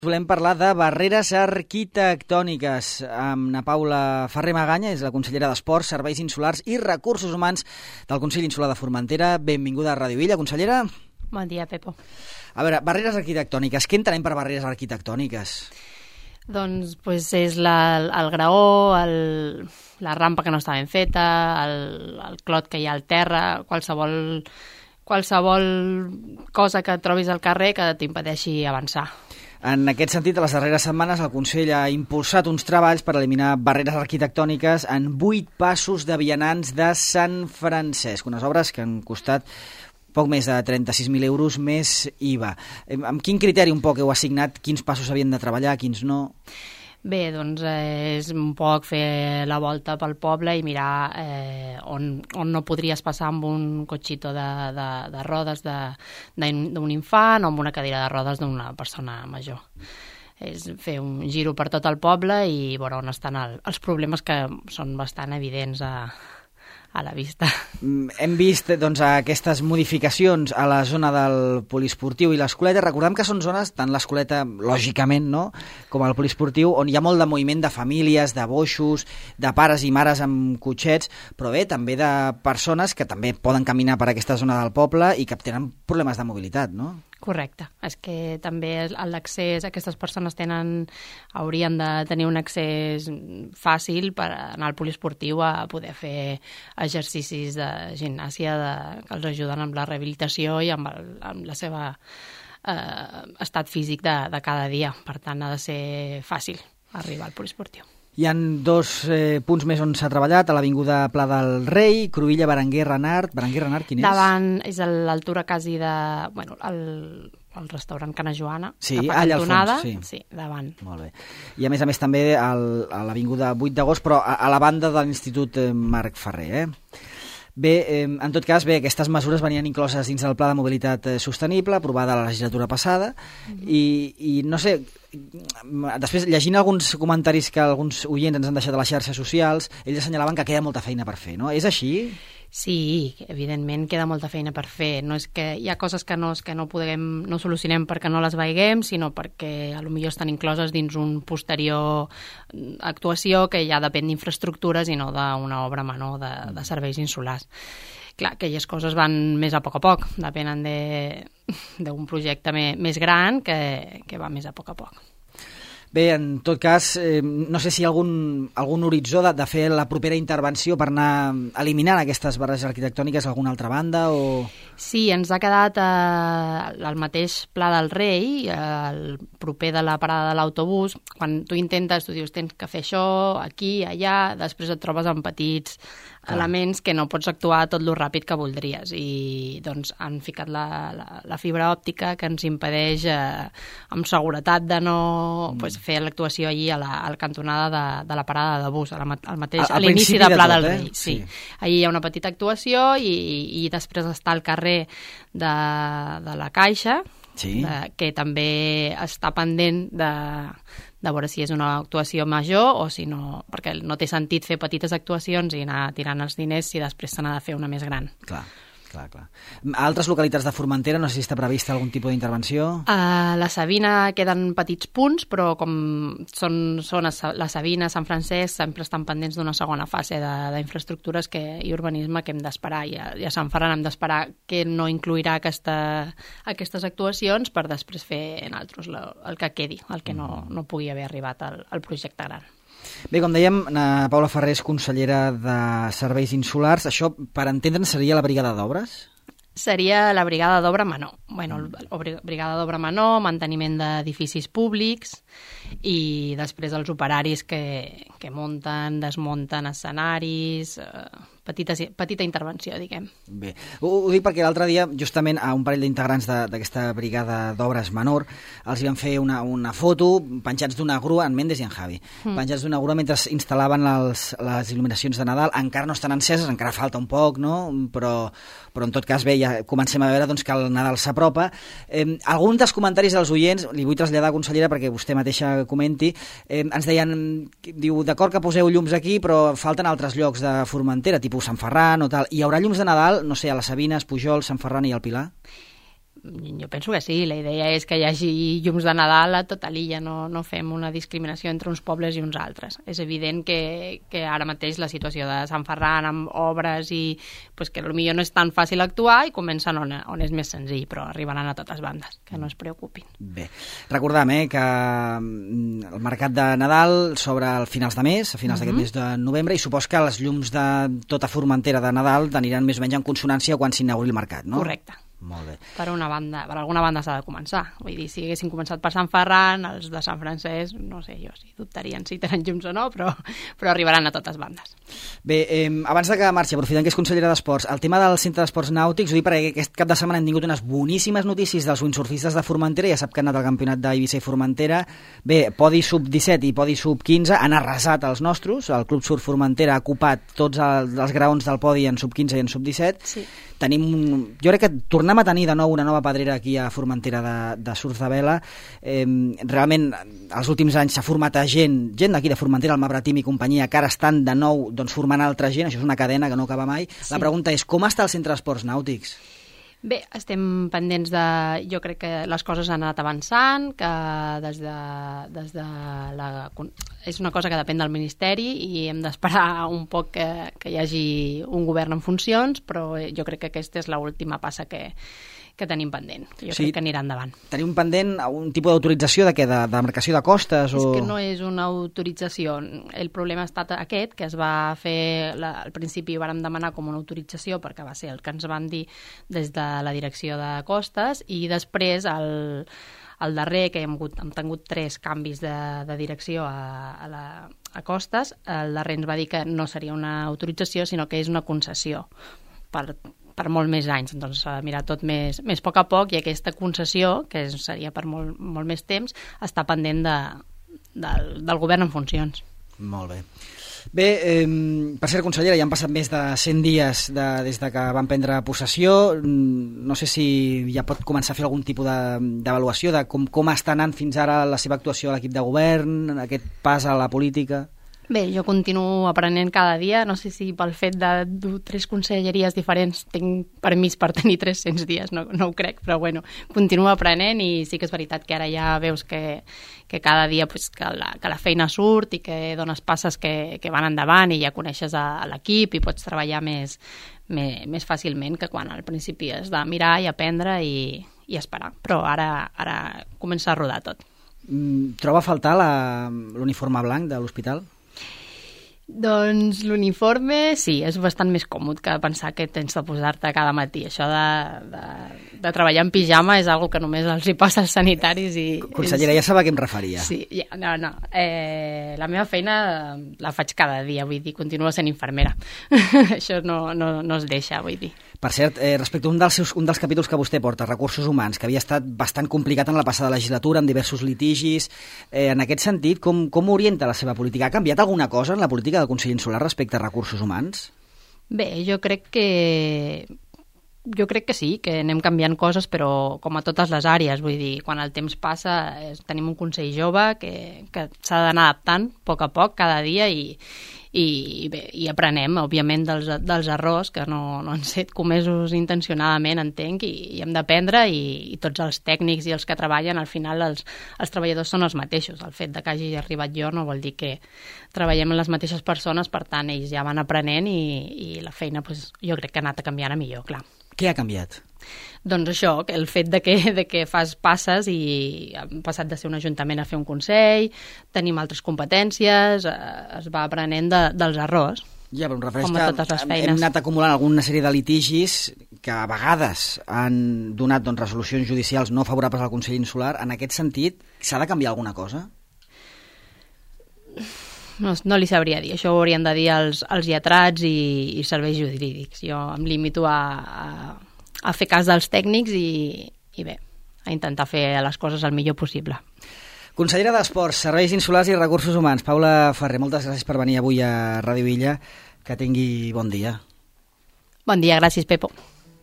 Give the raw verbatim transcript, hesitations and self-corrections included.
Volem parlar de barreres arquitectòniques amb na Paula Ferrer Maganya, és la consellera d'Esports, Serveis Insulars i Recursos Humans del Consell Insular de Formentera. Benvinguda a Ràdio Villa, consellera. Bon dia, Pepo. A veure, barreres arquitectòniques. Què entenem per barreres arquitectòniques? Doncs pues, és la, el graó, el, la rampa que no està ben feta, el, el clot que hi ha al terra, qualsevol, qualsevol cosa que trobis al carrer que t'impedeixi avançar. En aquest sentit, a les darreres setmanes, el Consell ha impulsat uns treballs per eliminar barreres arquitectòniques en vuit passos de vianants de Sant Francesc, unes obres que han costat poc més de trenta-sis mil euros més I V A. Amb quin criteri un poc heu assignat quins passos havien de treballar, quins no? Bé, doncs eh, és un poc fer la volta pel poble i mirar eh, on, on no podries passar amb un cotxito de, de, de rodes d'un infant o amb una cadira de rodes d'una persona major. És fer un giro per tot el poble i veure on estan el, els problemes que són bastant evidents a, a la vista. Hem vist doncs, aquestes modificacions a la zona del poliesportiu i l'escoleta. Recordem que són zones, tant l'escoleta, lògicament, no?, com el poliesportiu, on hi ha molt de moviment de famílies, de boixos, de pares i mares amb cotxets, però bé, també de persones que també poden caminar per aquesta zona del poble i que tenen problemes de mobilitat, no? Correcte. És que també l'accés, aquestes persones tenen, haurien de tenir un accés fàcil per anar al poliesportiu a poder fer exercicis de gimnàsia de, que els ajuden amb la rehabilitació i amb, el, amb la seva eh, estat físic de, de cada dia. Per tant, ha de ser fàcil arribar al poliesportiu. Hi ha dos eh, punts més on s'ha treballat, a l'Avinguda Pla del Rei, Cruïlla, Berenguer, Renart. Berenguer, Renart, quin és? Davant, és a l'altura quasi de... Bueno, el, el restaurant Cana Joana, sí, que fa allà cantonada. al fons, sí. Sí, davant. Molt bé. I a més a més també al, a l'Avinguda vuit d'agost, però a, a la banda de l'Institut Marc Ferrer, eh? Bé, eh, en tot cas, bé, aquestes mesures venien incloses dins del Pla de Mobilitat Sostenible, aprovada la legislatura passada, mm-hmm. i, i no sé, després llegint alguns comentaris que alguns oients ens han deixat a les xarxes socials, ells assenyalaven que queda molta feina per fer, no? És així? Sí, evidentment queda molta feina per fer. No és que hi ha coses que no, que no podem, no solucionem perquè no les veiguem, sinó perquè potser estan incloses dins un posterior actuació que ja depèn d'infraestructures i no d'una obra menor de, de serveis insulars. Clar, aquelles coses van més a poc a poc, depenen d'un projecte me, més gran que, que va més a poc a poc. Bé, en tot cas, eh, no sé si hi ha algun, algun horitzó de, de fer la propera intervenció per anar eliminant aquestes barreres arquitectòniques a alguna altra banda o... Sí, ens ha quedat eh, el mateix Pla del Rei, eh, el proper de la parada de l'autobús. Quan tu intentes, tu dius, tens que fer això, aquí, allà, després et trobes amb petits ah. elements que no pots actuar tot lo ràpid que voldries. I doncs han ficat la, la, la fibra òptica que ens impedeix eh, amb seguretat de no mm. pues, fer l'actuació allí a la, a la cantonada de, de la parada de bus, a, la, al mateix, a, a l'inici de Pla de tot, del Rei. Eh? Sí. Sí. Allí hi ha una petita actuació i, i després està el carrer de, de la Caixa, sí. de, que també està pendent de, de veure si és una actuació major o si no, perquè no té sentit fer petites actuacions i anar tirant els diners si després se n'ha de fer una més gran. Clar. Clar, clar. A altres localitats de Formentera no sé si està prevista algun tipus d'intervenció? A la Sabina queden petits punts, però com són, són la Sabina, Sant Francesc, sempre estan pendents d'una segona fase d'infraestructures i urbanisme que hem d'esperar. I a, i a Sant Ferran hem d'esperar que no incluirà aquesta, aquestes actuacions per després fer en altres el que quedi, el que no, no pugui haver arribat al, al projecte gran. Bé, com dèiem, na Paula Ferrer és consellera de Serveis Insulars. Això, per entendre'n, seria la brigada d'obres? Seria la brigada d'obra menor. Bueno, la brigada d'obra menor, manteniment d'edificis públics i després els operaris que, que munten, desmunten escenaris, eh, petita, petita intervenció, diguem. Bé, ho, ho dic perquè l'altre dia, justament a un parell d'integrants d'aquesta brigada d'obres menor, els hi van fer una, una foto penjats d'una grua, en Méndez i en Javi, mm. penjats d'una grua mentre instal·laven els, les il·luminacions de Nadal. Encara no estan enceses, encara falta un poc, no? Però, però en tot cas, bé, ja comencem a veure doncs, que el Nadal s'apropa. Eh, alguns dels comentaris dels oients, li vull traslladar, consellera, perquè vostè mateixa comenti, eh, ens deien, diu, d'acord que poseu llums aquí, però falten altres llocs de Formentera, tipus Sant Ferran o tal. Hi haurà llums de Nadal, no sé, a les Sabines, Pujol, Sant Ferran i el Pilar? Jo penso que sí, la idea és que hi hagi llums de Nadal a tota l'illa, no, no fem una discriminació entre uns pobles i uns altres. És evident que, que ara mateix la situació de Sant Ferran amb obres i pues, que potser no és tan fàcil actuar i comencen on, on és més senzill, però arribaran a totes bandes, que no es preocupin. Bé, recordem eh, que el mercat de Nadal s'obre a finals de mes, a finals mm-hmm. d'aquest mes de novembre, i supos que les llums de tota Formentera de Nadal aniran més o menys en consonància quan s'inauguri el mercat, no? Correcte. Molt bé. Per una banda, per alguna banda s'ha de començar. Vull dir, si haguessin començat per Sant Ferran, els de Sant Francesc, no sé jo si dubtarien si tenen llums o no, però, però arribaran a totes bandes. Bé, eh, abans de que marxi, aprofitant que és consellera d'Esports, el tema del centre d'esports nàutics, ho dic perquè aquest cap de setmana hem tingut unes boníssimes notícies dels windsurfistes de Formentera, ja sap que han anat al campionat d'Eivissa i Formentera. Bé, podi sub disset i podi sub quinze, han arrasat els nostres, el Club Surf Formentera ha ocupat tots els, els graons del podi en sub quinze i en sub disset. Sí. Tenim, jo crec que tornem a tenir de nou una nova pedrera aquí a Formentera de, de surf de vela. Eh, realment, els últims anys s'ha format a gent, gent d'aquí de Formentera, el Mabratim i companyia, que ara estan de nou doncs, formant altra gent, això és una cadena que no acaba mai. Sí. La pregunta és, com està el centre d'esports nàutics? Bé, estem pendents de... Jo crec que les coses han anat avançant, que des de, des de la... És una cosa que depèn del Ministeri i hem d'esperar un poc que, que hi hagi un govern en funcions, però jo crec que aquesta és l'última passa que, que tenim pendent. Jo sí, crec que anirà endavant. Tenim pendent un tipus d'autorització de què? De, de demarcació de costes? És o... que no és una autorització. El problema ha estat aquest, que es va fer... La, al principi vàrem demanar com una autorització perquè va ser el que ens van dir des de la direcció de costes i després el, el darrer, que hem, hagut, hem tingut tres canvis de, de direcció a, a, la, a costes, el darrer ens va dir que no seria una autorització sinó que és una concessió per, per molt més anys, doncs s'ha de mirar tot més, més a poc a poc i aquesta concessió, que seria per molt, molt més temps, està pendent de, del, del govern en funcions. Molt bé. Bé, eh, per ser consellera, ja han passat més de cent dies de, des de que van prendre possessió. No sé si ja pot començar a fer algun tipus d'avaluació de, de com, com està anant fins ara la seva actuació a l'equip de govern, aquest pas a la política. Bé, jo continuo aprenent cada dia, no sé si pel fet de dur tres conselleries diferents tinc permís per tenir tres-cents dies, no, no ho crec, però bueno, continuo aprenent i sí que és veritat que ara ja veus que, que cada dia pues, que, la, que la feina surt i que dones passes que, que van endavant i ja coneixes a, a l'equip i pots treballar més, més, més fàcilment que quan al principi has de mirar i aprendre i, i esperar, però ara, ara comença a rodar tot. Troba a faltar l'uniforme blanc de l'hospital? Doncs l'uniforme sí, és bastant més còmode que pensar que tens de posar-te cada matí. Això de, de, de treballar en pijama és algo que només els hi passa als sanitaris. I consellera, és... ja sabia a què em referia. Sí, ja, no, no. Eh, la meva feina la faig cada dia, vull dir, continuo sent infermera. Això no, no, no es deixa, vull dir. Per cert, eh, respecte a un dels, seus, un dels capítols que vostè porta, Recursos Humans, que havia estat bastant complicat en la passada legislatura, amb diversos litigis, eh, en aquest sentit, com, com orienta la seva política? Ha canviat alguna cosa en la política del conseller Insular respecte a Recursos Humans? Bé, jo crec que... Jo crec que sí, que anem canviant coses, però com a totes les àrees, vull dir, quan el temps passa eh, tenim un consell jove que, que s'ha d'anar adaptant a poc a poc, cada dia, i, i, bé, i aprenem, òbviament, dels, dels errors que no, no han set comesos intencionadament, entenc, i, i hem d'aprendre, i, i tots els tècnics i els que treballen, al final els, els treballadors són els mateixos. El fet de que hagi arribat jo no vol dir que treballem amb les mateixes persones, per tant, ells ja van aprenent i, i la feina pues, jo crec que ha anat a canviar a millor, clar. Què ha canviat? Doncs això, el fet de que, de que fas passes i hem passat de ser un ajuntament a fer un consell, tenim altres competències, eh, es va aprenent de, dels errors. Ja, però em refereix que hem anat acumulant alguna sèrie de litigis que a vegades han donat doncs, resolucions judicials no favorables al Consell Insular. En aquest sentit, s'ha de canviar alguna cosa? No, no li sabria dir, això ho haurien de dir els, els lletrats i, i serveis jurídics. Jo em limito a, a, a fer cas dels tècnics i, i bé, a intentar fer les coses el millor possible. Consellera d'Esports, Serveis Insulars i Recursos Humans, Paula Ferrer, moltes gràcies per venir avui a Ràdio Illa. Que tingui bon dia. Bon dia, gràcies, Pepo.